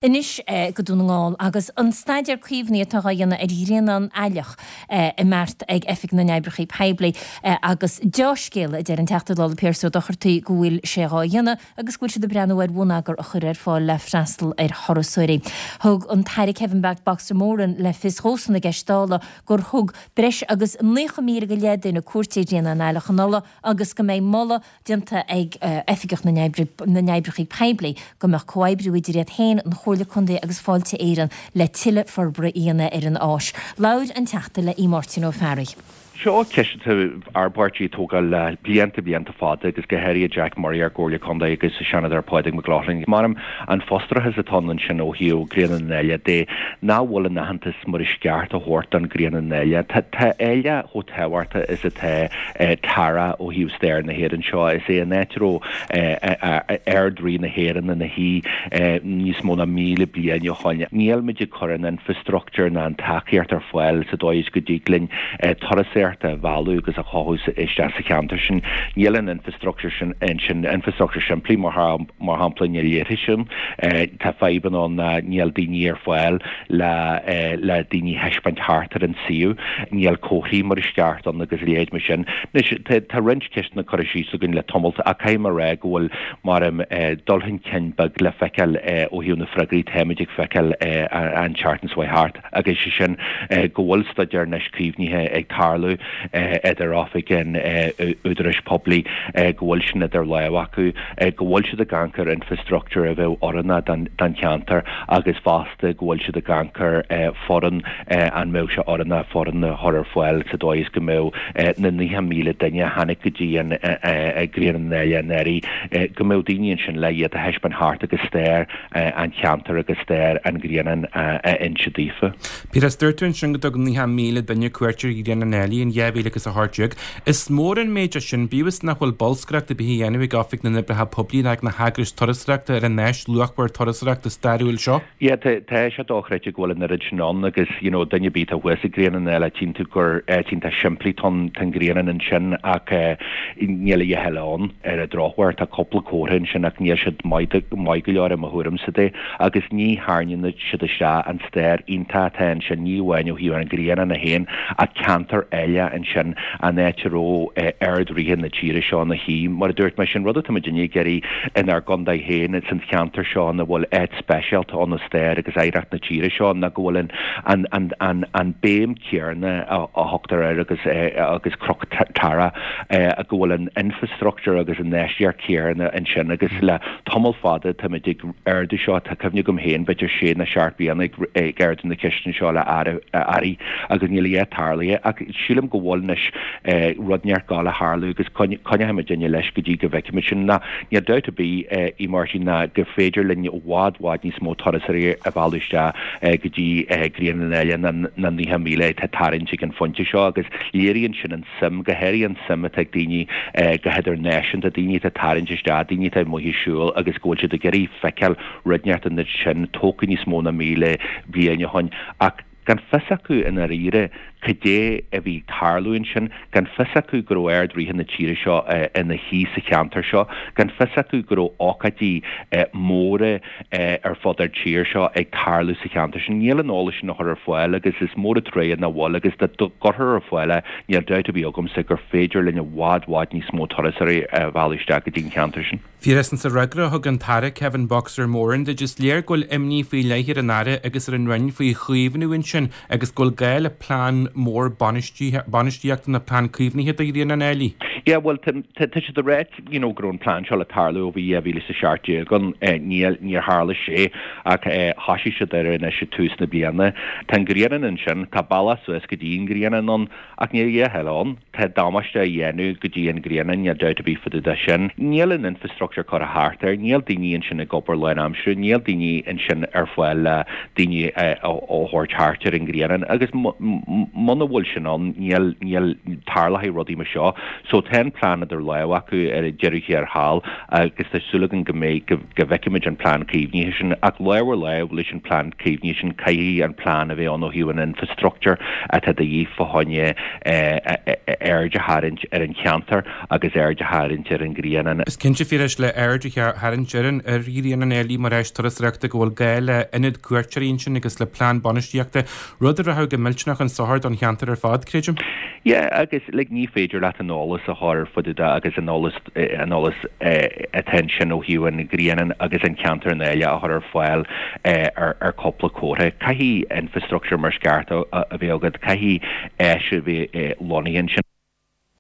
Anois go Dún na nGall agus an staidéar caomhnaithe atá á dhéanamh ar Ghrianán Aileach i mbeart ag Oifig na nOibreacha Poiblí agus deá-scéala a deir an Teachta Dála Pearse Ó Dochartaigh go bhfuil sé dhá dhéanamh agus go bhfuil siad ag breathnú ar bhonneagar a chur ar fáil le freastal ar thurasóirí. Thug an tAire Kevin Boxer Moran le fios dhósan i gceist Dála gur thug breis agus 90,000 go leith duine cuairt ar Ghrianán Aileach anuraidh agus go mbeidh moladh déanta ag Oifigeach na nOibreacha Poiblí go mbeadh comhoibriú idir iad féin, an Chomhairle Contae agus Fáilte Éireann le tuilleadh forbartha a dhéanamh ar an áis. Labhair an Teachta le Máirtín Ó Fearraigh. Seo ceist atá ár bpáirtí ag tógáil le blianta, blianta fada agus go háirithe Jack Murray ár gComhairle Contae agus an Seanadóir Pádraig McLaughlin. Mar an frustrachas atá ann ansin ó thaobh Grianán an Áille de nach bhfuil an aitheantas mar is ceart á thabhairt don Grianán Áille. Tá Áille chomh tábhachtach is atá Tara ó thaobh stair na hÉireann seo. Is é an áit a raibh Ard-Rí na hÉireann ina shuí níos mó ná 1,000 bliain ó shoin. Níl muid ag cur an infrastructúr ná an tacaíocht ar fáil sa dóigh is go dtig linn turasóireacht a mhealladh agus a chothú isteach sa cheantar sin. Níl an infrastructúr sin ansin, infrastructúr simplí mar shampla, níl leithris ann. Tá fadhbanna ann ná níl daoine ar fáil le le daoine a thaispeáint thart ar an suíomh. Níl comharthaí mar is ceart ann agus a leithéid mar sin. Anois, tá tá roinnt ceisteanna curtha síos againn le tamalt ach caithfidh mé a rá go bhfuil mar em dul chun cinn beag le feiceáil ó thaobh na freagraí táimid ag feiceáil an tseachtain seo thart agus sé sin go bhfuil staidéar anois caomhnaithe ag tarlú idir oifig an údaráis poiblí, go bhfuil sin idir lámha acu, go bhfuil siad ag amharc ar infrastructúr a bheadh oiriúnach don cheantar agus fosta go bhfuil siad ag amharc ar foireann, an mbeadh sé oiriúnach foireann a chur ar fáil sa dóigh is go mbeadh na 90,000 duine a tháinig go dtí an Grianán Áille anuraidh, go mbeadh daoine ansin le iad a thaispeáint thart agus stair an cheantair agus stair an Ghrianáin a inse daofa. Piaras, dúirt tú ansin go dtug 90,000 duine cuairt ar Ghrianán Áille in 2018. Is mór an méid é sin, bíodh is nach bhfuil bolscaireacht ar bith á dhéanamh ag Oifig na nOibreacha Poiblí ná ag na heagrais turasóireachta ar an áis luachmhar turasóireachta stairiúil seo. Yeah, tá tá sé dochreidte go bhfuil an oiread sin ann agus, you know, duine ar bith atá thuas ag Grianán Áille, tchíonn tú gur áit iontach simplí atá ann, tá an grianán ansin ach eh, níl a dhath eile ann ar an drochuair. Tá cúpla comhartha ansin ach níl siad maith maith go leor i mo thuairimse de agus ní tharraingíonn siad isteach an stair iontach atá ansin, ní amháin ó thaobh an ghrianáin é féin ach ceantar eile ansin, an áit a raibh Ard-Ríthe na tíre seo ina shuí. Mar a dúirt mé, sin rud atá muidinne ag iarraidh inár gcontae féin, san cheantar seo ina bhfuil áit speisialta ann i stair agus oidhreacht na tíre seo, ná go bhfuil an, an, an, an béim chéanna a thugtar air agus agus Cnoc Tara, go bhfuil an infrastructúr agus an infheistíocht chéanna ansin agus le tamall fada táimid ag ardú seo, tá cuimhne agam féin b'fhéidir sé nó seacht bliana ag ardú na ceisteanna seo le airí agus níl a dhath tarlaithe ach sílim go bhfuil anois rud inteacht ag gabháil a tharlú agus coinneoidh muidinne leis go dtí go bhfeicfimid sin. Ná níl dabht ar bith, a Mháirtín, ná gur féidir linn i bhfad bhfad níos mó turasóirí a mhealladh isteach go dtí Grianán Áille ná 90,000 atá ag tarraingt ag an phointe seo agus léiríonn sin an suim, go háirithe an suim atá ag daoine go hidirnáisiúnta, daoine atá ag tarraingt isteach, daoine atá amuigh ag siúl agus go bhfuil siad ag iarraidh feiceáil rud inteacht ansin tógtha níos mó ná 1,000 bliain ó shoin ach gan fios acu i ndáiríre cad é a bhí ag tarlú ansin, gan fios acu go raibh Ard-Ríthe na tíre seo ina shuí sa cheantar seo, gan fios acu go raibh ócáidí móra ar fud ár tír seo ag tarlú sa cheantar sin. Níl an eolas sin á chur ar fáil agus is mór an truaighe nach bhfuil agus dá gcuirfear ar fáil é, níl dabht ar bith agamsa gur féidir linn i bhfad, bhfad níos mó turasóirí a mhealladh isteach go dtí an cheantar sin. Phiarais, sa fhreagra a thug an tAire Kevin Boxer Moran duit, is léir go bhfuil imní faoi leith ar an Aire agus ar an Roinn faoi chaomhnú ansin agus go bhfuil gá le plean mór bainistíochta nó plean caomhnaithe do Ghrianán Áille. Yeah, bhuel, tá siad ag ráit you know, go raibh an plean seo le tarlú ó bhí 2017 ann. Níl, níor tharla sé ach thosaigh siad air anois ag tús na bliana. Tá an grianán ansin, tá bealach suas go dtí an grianán ann ach níl a dhath eile ann. Tá damáiste á dhéanamh go dtí an grianán, níl dabht ar bith fá dtaobh de sin. Níl an infrastructúr curtha thart air, níl daoine ansin ag obair lánaimseartha, níl daoine ansin ar fáil le daoine a thabhairt thart. cuairt ar an ghrianán agus muna bhfuil sin ann níl, níl, tarlóidh rudaí mar seo. So tá an plean idir lámha acu ar deireadh thiar thall agus tá súil againn go mbeidh, go, go bhfeicfimid an plean caomhnaithe sin. Ach lámh ar lámh leis an plean caomhnaithe sin caithfidh an plean a bheith ann ó thaobh an infrastructure atá de dhíth fá choinne aird a tharraingt ar an cheantar agus aird a tharraingt ar an ghrianán. Is cinnte, Phiarais, le aird a tharraingt ar an ar Ghrianán Ailigh mar áis turasóireachta go bhfuil gá le ionad cuairteoirí ansin agus le plean bainistíochta, rud a rachadh go millteanach chun sochair don cheantar ar fad, creidim. Yeah, agus like ní féidir leat an eolas a chur ar fud agus an eolas an eolas atá ansin ó thaobh an ghrianáin agus an cheantar an Áille a chur ar fáil ar ar cúpla comhartha. Caithfidh infrastructure mar is ceart a bheith agat, caithfidh áis a bheith lonnaithe ansin.